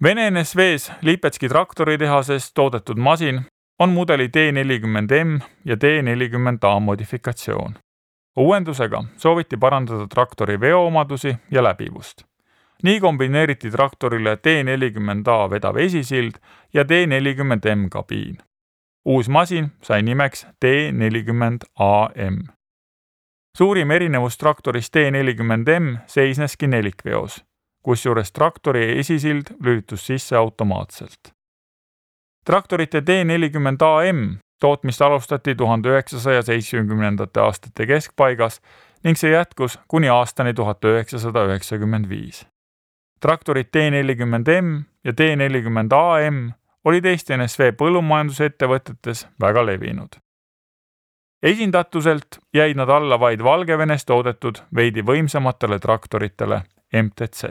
Vene NSV-s Lipetski traktoritehases toodetud masin on mudeli T40M ja T40A modifikatsioon. Uuendusega sooviti parandada traktori veoomadusi ja läbivust. Nii kombineeriti traktorile T40A vedav esisild ja T40M kabiin. Uus masin sai nimeks T40AM. Suurim erinevus traktorist T40M seisneski nelikveos, kusjuures traktori esisild lülitus sisse automaatselt. Traktorite T40AM tootmist alustati 1970. aastate keskpaigas ning see jätkus kuni aastani 1995. Traktorid T40M ja T40AM olid Eesti NSV põllumajandusettevõtetes väga levinud. Esindatuselt jäid nad alla vaid Valgevenes toodetud veidi võimsamatele traktoritele MTZ.